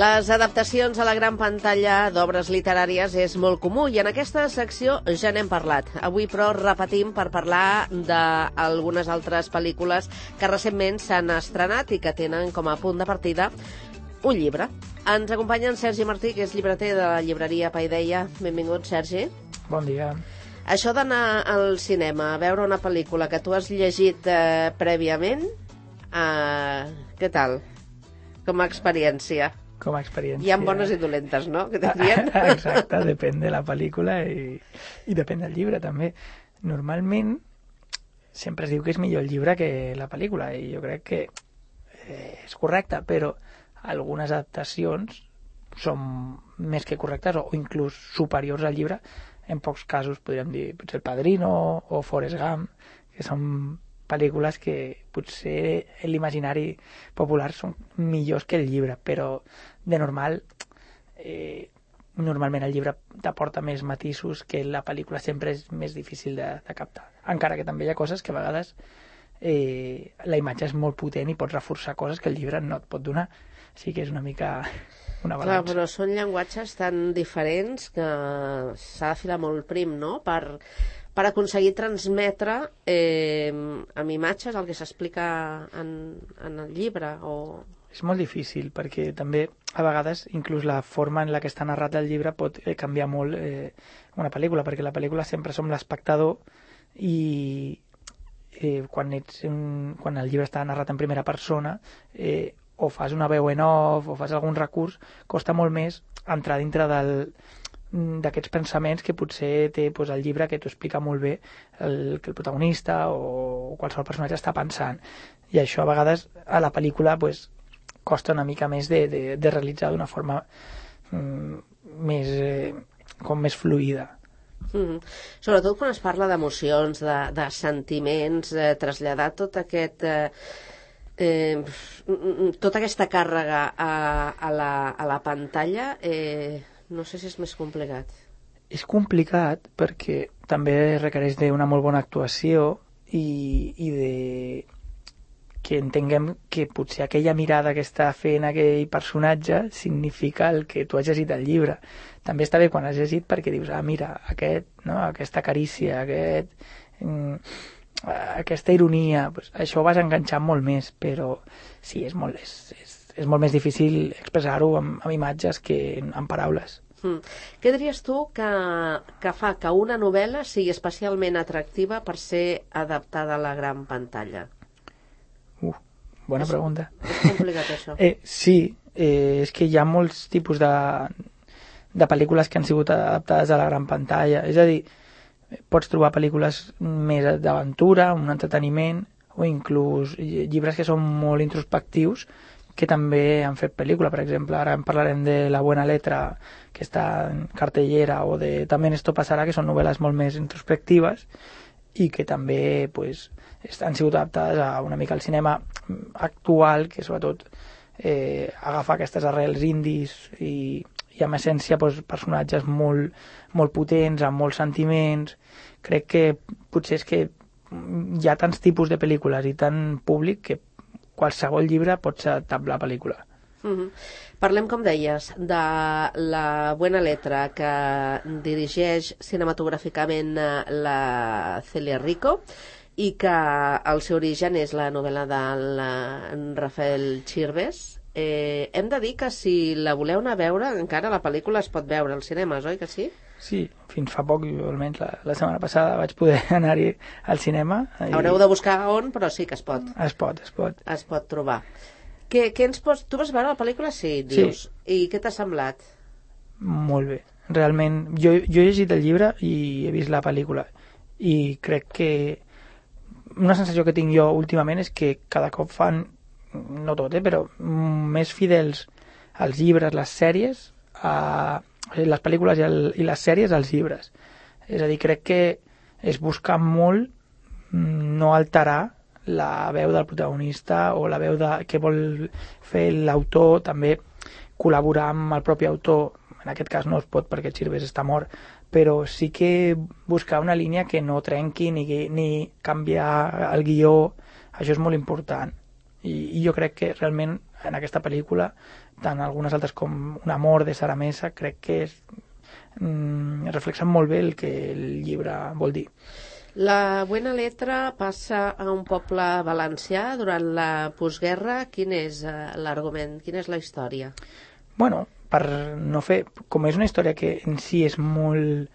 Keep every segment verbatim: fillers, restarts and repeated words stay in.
Les adaptacions a la gran pantalla d'obres literàries és molt comú i en aquesta secció ja n'hem parlat. Avui, però, repetim per parlar d'algunes altres pel·lícules que recentment s'han estrenat i que tenen com a punt de partida un llibre. Ens acompanya en Sergi Martí, que és llibreter de la llibreria Paideia. Benvingut, Sergi. Bon dia. Això d'anar al cinema a veure una pel·lícula que tu has llegit eh, prèviament, eh, què tal? Com a experiència? Com a experiència. Hi ha bones i dolentes, no? Que Exacte, depèn de la pel·lícula i, i depèn del llibre, també. Normalment, sempre es diu que és millor el llibre que la pel·lícula, i jo crec que eh, és correcte, però algunes adaptacions són més que correctes o inclús superiors al llibre. En pocs casos podríem dir potser El Padrino o Forrest Gump, que són pel·lícules que potser en l'imaginari popular són millors que el llibre, però de normal eh, normalment el llibre t'aporta més matisos que la pel·lícula, sempre és més difícil de, de captar, encara que també hi ha coses que a vegades eh, la imatge és molt potent i pots reforçar coses que el llibre no et pot donar, així que és una mica una balança. Clar, però són llenguatges tan diferents que s'ha de filar molt prim, no?, per per aconseguir transmetre eh, amb imatges el que s'explica en, en el llibre. O... És molt difícil, perquè també a vegades inclús la forma en la que està narrat el llibre pot eh, canviar molt eh, una pel·lícula, perquè la pel·lícula sempre som l'espectador i eh, quan, ets un, quan el llibre està narrat en primera persona eh, o fas una veu en off o fas algun recurs, costa molt més entrar dintre del d'aquests pensaments que potser té doncs, el llibre, que t'ho explica molt bé el, que el protagonista o qualsevol personatge està pensant, i això a vegades a la pel·lícula pues, costa una mica més de, de, de realitzar d'una forma mm, més, eh, com més fluida. Mm-hmm. Sobretot quan es parla d'emocions, de, de sentiments, eh, traslladar tot aquest eh, eh, tota aquesta càrrega a, a, la, a la pantalla eh, no sé si és més complicat. És complicat perquè també requereix d'una molt bona actuació i, i de que entenguem que potser aquella mirada que està fent aquell personatge significa el que tu has llegit al llibre. També està bé quan has llegit perquè dius, ah, mira, aquest, no, aquesta carícia, aquest, mm, aquesta ironia, pues, això ho vas enganxar molt més, però sí, és molt, és, és, és molt més difícil expressar-ho amb, amb imatges que amb paraules. Mm. Què diries tu que, que fa que una novel·la sigui especialment atractiva per ser adaptada a la gran pantalla? Uh, bona és, pregunta. És complicat, això. Eh, sí, eh, és que hi ha molts tipus de, de pel·lícules que han sigut adaptades a la gran pantalla. És a dir, pots trobar pel·lícules més d'aventura, un entreteniment, o inclús llibres que són molt introspectius, que també han fet pel·lícula. Per exemple, ara en parlarem de La Buena Letra, que està en cartellera, o de También esto pasará, que són novel·les molt més introspectives i que també pues, han sigut adaptades a una mica al cinema actual, que sobretot eh, agafa aquestes arrels indis i, i amb essència pues, personatges molt, molt potents, amb molts sentiments. Crec que potser és que hi ha tants tipus de pel·lícules i tant públic que qualsevol llibre pot ser adaptable a la pel·lícula. Uh-huh. Parlem, com deies, de La Buena Letra, que dirigeix cinematogràficament la Celia Rico i que el seu origen és la novel·la del Rafael Chirves. Eh, hem de dir que si la voleu anar a veure, encara la pel·lícula es pot veure als cinemes, oi que sí? Sí, fins fa poc, almenys la, la setmana passada vaig poder anar-hi al cinema. I... Haureu de buscar on, però sí que es pot. Es pot, es pot. Es pot trobar. Què, què ens pots... Tu vas veure la pel·lícula? Sí, dius. Sí. I què t'ha semblat? Molt bé. Realment, jo, jo he llegit el llibre i he vist la pel·lícula i crec que una sensació que tinc jo últimament és que cada cop fan, no tot, eh, però més fidels als llibres, les sèries, a les pel·lícules i, el, i les sèries als llibres. És a dir, crec que es busca molt no alterar la veu del protagonista o la veu de, que vol fer l'autor, també col·laborar amb el propi autor. En aquest cas no es pot perquè Chirves està mort, però sí que buscar una línia que no trenqui ni, ni canviar el guió. Això és molt important. I, i jo crec que realment en aquesta pel·lícula, tant algunes altres com Un amor de Sara Mesa, crec que és, mm, reflexen molt bé el que el llibre vol dir. La Buena Letra passa a un poble valencià durant la postguerra. Quin és eh, l'argument? Quina és la història? Bueno, per no fer... Com és una història que en si és molt...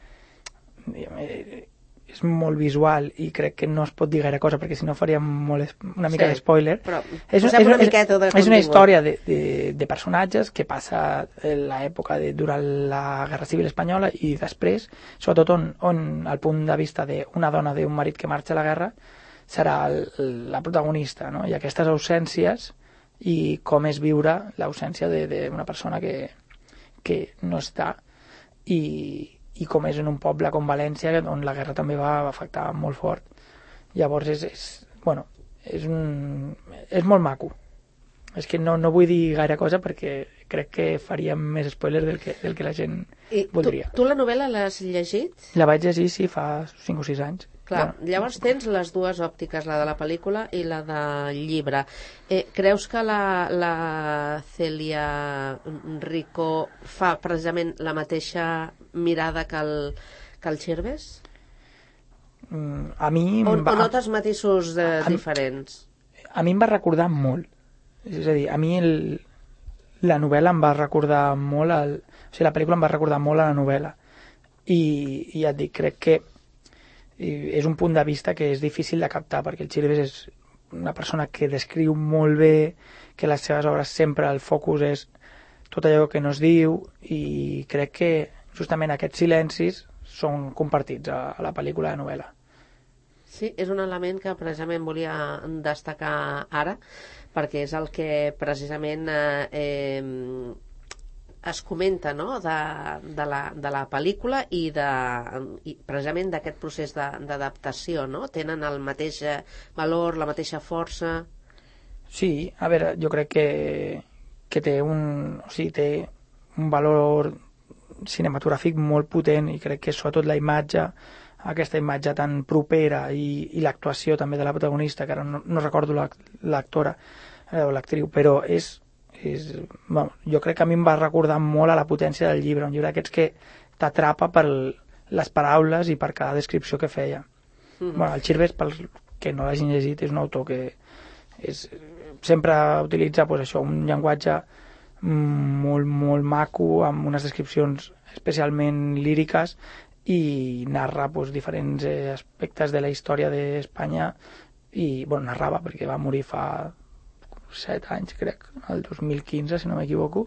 Eh, és molt visual i crec que no es pot dir gaire cosa perquè si no faríem molt, una mica Sí, d'espoiler. però És, posem és, una és, miqueta de és una contingut. història de, de, de personatges que passa en l'època de, durant la Guerra Civil Espanyola i després, sobretot on, on el punt de vista d'una dona d'un marit que marxa a la guerra serà el, la protagonista, no? I aquestes ausències i com és viure l'ausència d'una persona que, que no està i i com és en un poble com València, on la guerra també va afectar molt fort. Llavors és, és, bueno, és, un, és molt maco. És que no, no vull dir gaire cosa perquè crec que faríem més spoilers del que, del que la gent I voldria. Tu, tu la novel·la l'has llegit? La vaig llegir, sí, fa cinc o sis anys. Clar, Bueno, llavors tens les dues òptiques, la de la pel·lícula i la del llibre. Eh, creus que la, la Celia Rico fa precisament la mateixa mirada que el, que el Chirves? mm, a mi... O, em va- o notes matisos de, a- diferents? a mi em va recordar molt. És a dir, a mi el, la novel·la em va recordar molt... El, o sigui, la pel·lícula em va recordar molt a la novel·la. I, i ja et dic, crec que i és un punt de vista que és difícil de captar, perquè el Chirves és una persona que descriu molt bé, que les seves obres sempre el focus és tot allò que no es diu, i crec que justament aquests silencis són compartits a, a la pel·lícula de novel·la. Sí, és un element que precisament volia destacar ara, perquè és el que precisament eh, eh, es comenta, no?, de, de, la, de la pel·lícula i, de, i precisament d'aquest procés d'adaptació, no? Tenen el mateix valor, la mateixa força... Sí, a veure, jo crec que, que té un, o sigui, té un valor cinematogràfic molt potent i crec que sobretot la imatge, aquesta imatge tan propera i, i l'actuació també de la protagonista, que ara no, no recordo l'actora eh, o l'actriu, però és, és bueno, jo crec que a mi em va recordar molt a la potència del llibre, un llibre d'aquests que t'atrapa per les paraules i per cada descripció que feia. Mm-hmm. Bueno, el Chirves, pels que no l'hagin llegit, és un autor que és, sempre utilitza pues, això, un llenguatge molt, molt maco, amb unes descripcions especialment líriques i narra pues, diferents eh, aspectes de la història d'Espanya i, bueno, narrava perquè va morir fa set anys, crec, el dos mil quinze, si no m'equivoco,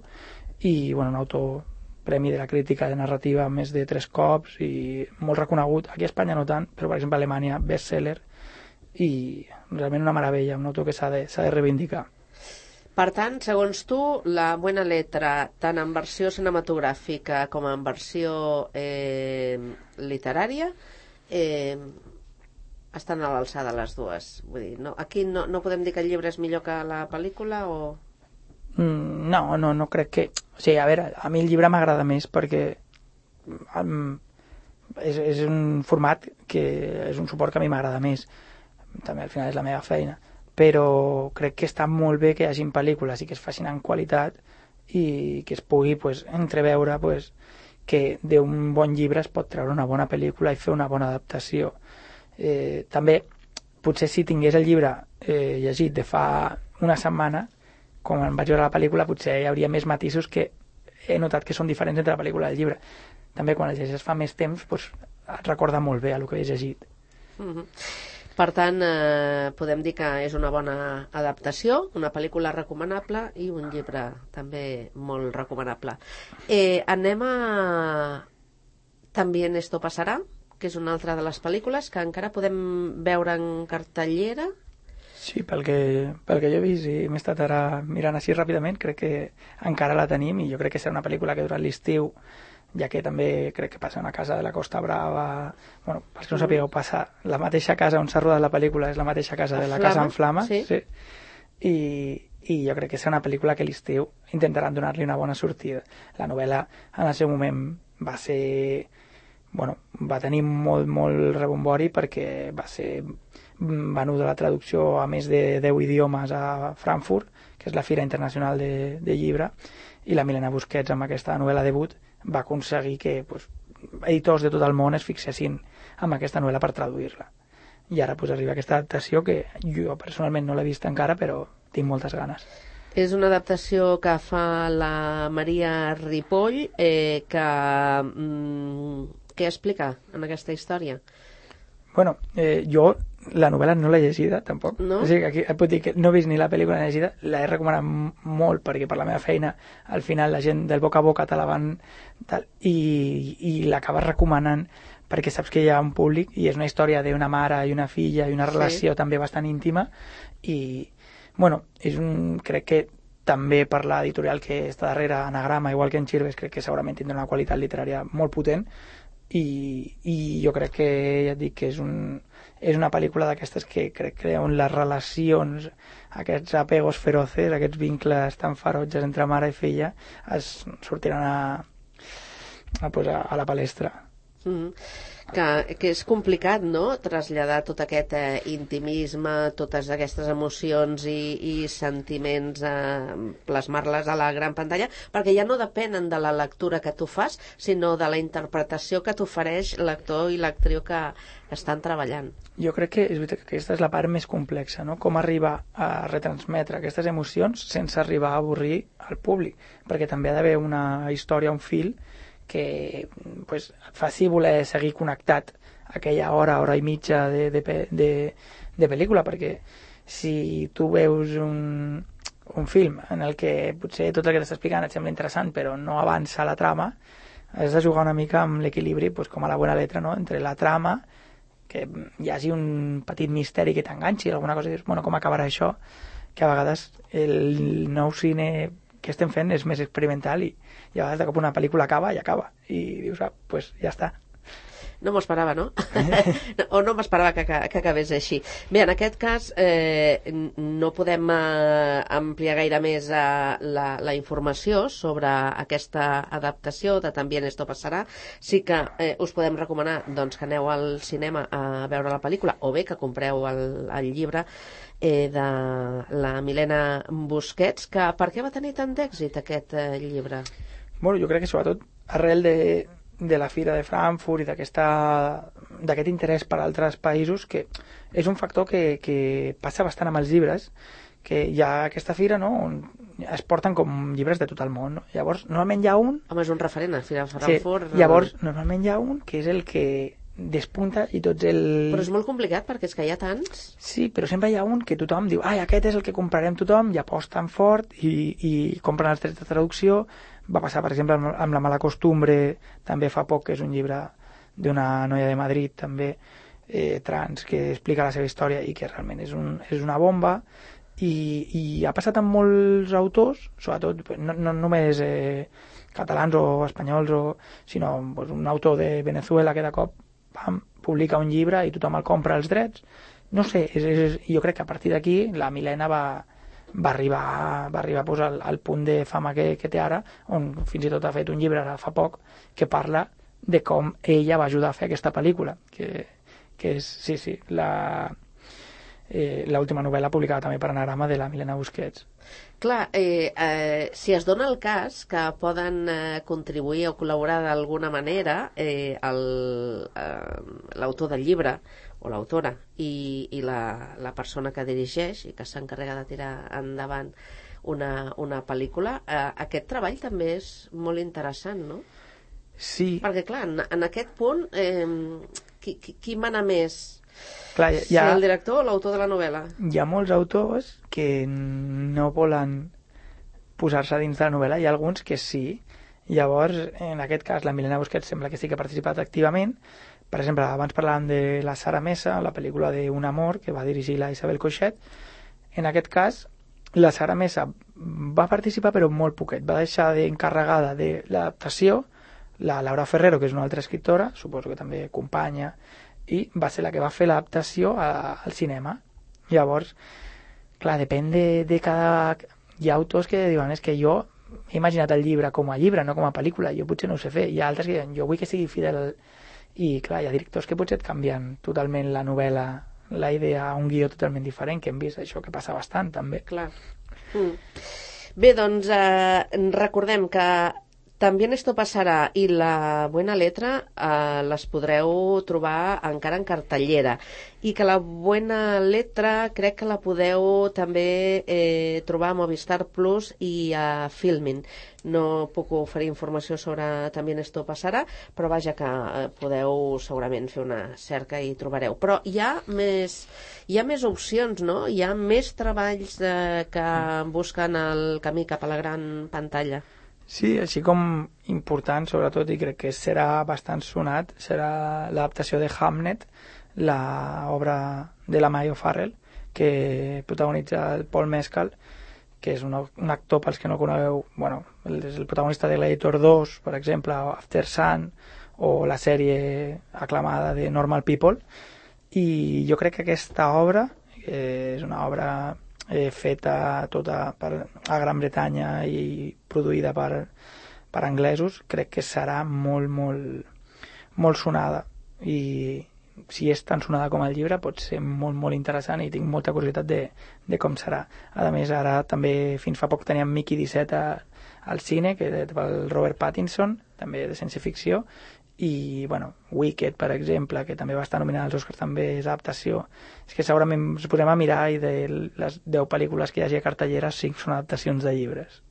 i, bueno, un autor premi de la crítica de narrativa més de tres cops i molt reconegut, aquí a Espanya no tant, però per exemple a Alemanya, bestseller, i realment una meravella, un autor que s'ha de, s'ha de reivindicar. Per tant, segons tu, la Buena Letra, tant en versió cinematogràfica com en versió eh, literària, eh, estan a l'alçada les dues. Vull dir, no, aquí no, no podem dir que el llibre és millor que la pel·lícula o... Mm, no, no, no crec que... O sigui, a veure, a mi el llibre m'agrada més perquè um, és, és un format que és un suport que a mi m'agrada més. També al final és la meva feina. Però crec que està molt bé que hi hagin pel·lícules i que es facin en qualitat i que es pugui pues, entreveure pues, que d'un bon llibre es pot treure una bona pel·lícula i fer una bona adaptació. Eh, també, potser si tingués el llibre eh, llegit de fa una setmana, com em vaig veure la pel·lícula, potser hi hauria més matisos que he notat que són diferents entre la pel·lícula i el llibre. També quan el llegeixes fa més temps, doncs, et recorda molt bé el que he llegit. Mm-hmm. Per tant, eh, podem dir que és una bona adaptació, una pel·lícula recomanable i un llibre també molt recomanable. Eh, anem a También esto pasará, que és una altra de les pel·lícules que encara podem veure en cartellera. Sí, pel que, pel que jo he vist i m'he estat ara mirant així ràpidament, crec que encara la tenim i jo crec que serà una pel·lícula que durant l'estiu, ja que també crec que passa a una casa de la Costa Brava, bueno, pels que no sapigueu, passa la mateixa casa on s'ha rodat la pel·lícula és la mateixa casa de la Flama, Casa en Flames, sí. Sí. I, i jo crec que serà una pel·lícula que l'estiu intentaran donar-li una bona sortida. La novel·la en el seu moment va ser... Bueno, va tenir molt, molt rebombori perquè va ser venuda la traducció a més de deu idiomes a Frankfurt, que és la Fira Internacional de, de Llibre, i la Milena Busquets, amb aquesta novel·la debut, va aconseguir que pues, editors de tot el món es fixessin en aquesta novel·la per traduir-la. I ara pues, arriba aquesta adaptació que jo personalment no l'he vist encara, però tinc moltes ganes. És una adaptació que fa la Maria Ripoll, eh, que... Mm, què explica en aquesta història? Bueno, eh, jo la novel·la no l'he llegida, tampoc. No? O sigui, aquí et puc dir que no he vist ni la pel·lícula ni llegida, la he recomanat molt perquè per la meva feina al final la gent del boca a boca te la van... Tal, i, i l'acabes recomanant perquè saps que hi ha un públic i és una història d'una mare i una filla i una relació sí. també bastant íntima i, bueno, és un, crec que també per l'editorial que està darrere Anagrama, igual que en Chirves, crec que segurament tindrà una qualitat literària molt potent i, i jo crec que, ja et dic, que és, un, és una pel·lícula d'aquestes que crec que on les relacions, aquests apegos feroces, aquests vincles tan ferotges entre mare i filla es sortiran a, a, pues a, a la palestra. Mm-hmm. Que, que és complicat, no?, traslladar tot aquest eh, intimisme, totes aquestes emocions i, i sentiments, eh, plasmar-les a la gran pantalla, perquè ja no depenen de la lectura que tu fas, sinó de la interpretació que t'ofereix l'actor i l'actriu que estan treballant. Jo crec que, és veritat, que aquesta és la part més complexa, no?, com arribar a retransmetre aquestes emocions sense arribar a avorrir al públic, perquè també ha d'haver una història, un fil, que pues, et faci voler seguir connectat aquella hora, hora i mitja de, de, de, de pel·lícula, perquè si tu veus un, un film en el que potser tot el que t'està explicant et sembla interessant però no avança la trama, has de jugar una mica amb l'equilibri, pues, com a la bona letra, no?, entre la trama, que hi hagi un petit misteri que t'enganxi, alguna cosa, i dius, bueno, com acabarà això? Que a vegades el nou cine que estem fent és més experimental i, i a vegades de cop una pel·lícula acaba i acaba i dius, ah, pues ja està. No m'ho esperava, no? O no m'esperava que, que, que acabés així. Bé, en aquest cas eh, no podem eh, ampliar gaire més eh, la, la informació sobre aquesta adaptació de También esto pasará. Sí que eh, us podem recomanar doncs, que aneu al cinema a veure la pel·lícula o bé que compreu el, el llibre eh, de la Milena Busquets, que per què va tenir tant d'èxit aquest eh, llibre? Bueno, jo crec que sobretot arrel de de la Fira de Frankfurt i d'aquest interès per altres països, que és un factor que, que passa bastant amb els llibres, que hi ha aquesta fira, no?, on es porten com llibres de tot el món, no? Llavors, normalment hi ha un... Home, és un referent, a Fira de Frankfurt... Sí, llavors, normalment hi ha un que és el que despunta i tots el... Però és molt complicat perquè és que hi ha tants... Sí, però sempre hi ha un que tothom diu, ai, aquest és el que comprarem tothom, i aposten fort i, i compren els drets de traducció. Va passar, per exemple, amb La mala costumbre, també fa poc, que és un llibre d'una noia de Madrid, també, eh, trans, que explica la seva història i que realment és, un, és una bomba. I, i ha passat amb molts autors, sobretot, no, no només eh, catalans o espanyols, o, sinó pues, un autor de Venezuela que de cop pam, publica un llibre i tothom el compra els drets. No sé, és, és, jo crec que a partir d'aquí la Milena va... va arribar, va arribar pues, al, al punt de fama que, que té ara, on fins i tot ha fet un llibre ara fa poc que parla de com ella va ajudar a fer aquesta pel·lícula, que, que és, sí, sí, la eh, l'última novel·la publicada també per Anagrama de la Milena Busquets. Clar, eh, eh, si es dona el cas que poden eh, contribuir o col·laborar d'alguna manera eh, l'autor del llibre o l'autora i, i la, la persona que dirigeix i que s'encarrega de tirar endavant una, una pel·lícula, eh, aquest treball també és molt interessant, no? Sí. Perquè, clar, en, en aquest punt, eh, qui, qui, qui mana més? Clar, hi ha, si el director o l'autor de la novel·la? Hi ha molts autors que no volen posar-se dins de la novel·la, hi ha alguns que sí. Llavors, en aquest cas, la Milena Busquets sembla que sí que ha participat activament. Per exemple, abans parlàvem de la Sara Mesa, la pel·lícula d'Un amor, que va dirigir la Isabel Coixet. En aquest cas, la Sara Mesa va participar, però molt poquet. Va deixar d'encarregada de l'adaptació la Laura Ferrero, que és una altra escriptora, suposo que també companya, i va ser la que va fer l'adaptació al cinema. Llavors, clar, depèn de, de cada... Hi ha autors que diuen, és que jo he imaginat el llibre com a llibre, no com a pel·lícula, jo potser no ho sé fer. Hi ha altres que diuen, jo vull que sigui fidel... I, clar, hi ha directors que potser et canvien totalment la novel·la la idea a un guió totalment diferent, que hem vist això que passa bastant també. Clar. Mm. Bé, doncs eh, recordem que También esto passarà i La Buena Letra eh, les podreu trobar encara en cartellera, i que La Buena Letra crec que la podeu també eh, trobar a Movistar Plus i a Filmin. No puc oferir informació sobre También esto passarà, però vaja que eh, podeu segurament fer una cerca i trobareu. Però hi ha més, hi ha més opcions, no? Hi ha més treballs eh, que busquen el camí cap a la gran pantalla. Sí, així com important, sobretot, i crec que serà bastant sonat, serà l'adaptació de Hamnet, l'obra de la Maya O'Farrell, que protagonitza el Paul Mescal, que és un, un actor, pels que no conegueu, bueno, és el protagonista de Gladiator dos, per exemple, o After Sun, o la sèrie aclamada de Normal People, i jo crec que aquesta obra eh, és una obra eh, feta tota per, a Gran Bretanya i produïda per, per anglesos, crec que serà molt, molt, molt sonada, i si és tan sonada com el llibre pot ser molt, molt interessant, i tinc molta curiositat de, de com serà. A més, ara també fins fa poc teníem Mickey disset a, al cine, que és pel Robert Pattinson, també de ciència-ficció, i, bueno, Wicked, per exemple, que també va estar nominada als Oscars, també és adaptació. És que segurament ens posem a mirar i de les deu pel·lícules que hi hagi a cartellera, cinc són adaptacions de llibres.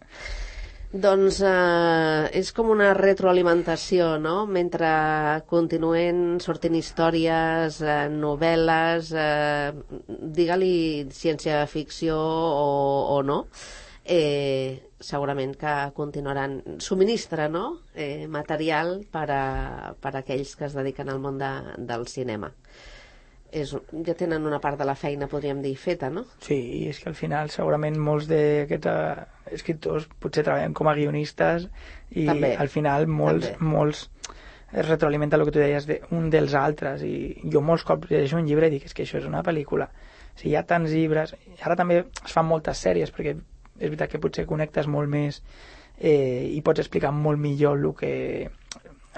Doncs eh, és com una retroalimentació, no? Mentre continuen sortint històries, eh, novel·les, eh, digue-li ciència-ficció o, o no, eh, segurament que continuaran, subministra, no? eh, material per a, per a aquells que es dediquen al món de, del cinema. És, ja tenen una part de la feina, podríem dir, feta, no? Sí, i és que al final segurament molts d'aquests uh, escriptors potser treballen com a guionistes, i també, al final molts, molts es retroalimenta el que tu deies de, un dels altres, i jo molts cops llegeixo un llibre i dic, és que això és una pel·lícula. O sigui, hi ha tants llibres, ara també es fan moltes sèries, perquè és veritat que potser connectes molt més eh, i pots explicar molt millor el que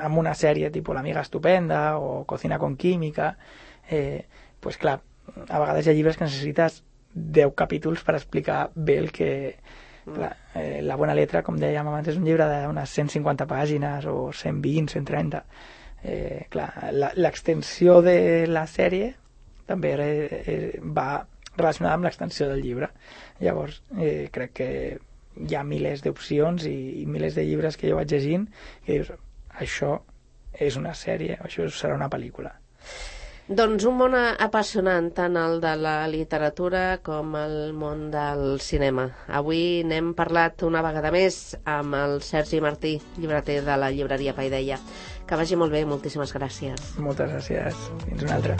amb una sèrie tipus L'Amiga Estupenda o Cocina con Química. Eh, pues clar, a vegades hi ha llibres que necessites deu capítols per explicar bé el que... Clar, eh, La Buena Letra, com dèiem abans, és un llibre d'unes cent cinquanta pàgines o cent vint, cent trenta. Eh, clar, l'extensió de la sèrie també eh, va relacionada amb l'extensió del llibre. Llavors, eh, crec que hi ha milers d'opcions i, i milers de llibres que jo vaig llegint que dius, això és una sèrie, això serà una pel·lícula. Doncs un món apassionant, tant el de la literatura com el món del cinema. Avui n'hem parlat una vegada més amb el Sergi Martí, llibreter de la llibreria Paideia. Que vagi molt bé, moltíssimes gràcies. Moltes gràcies. Fins una altra.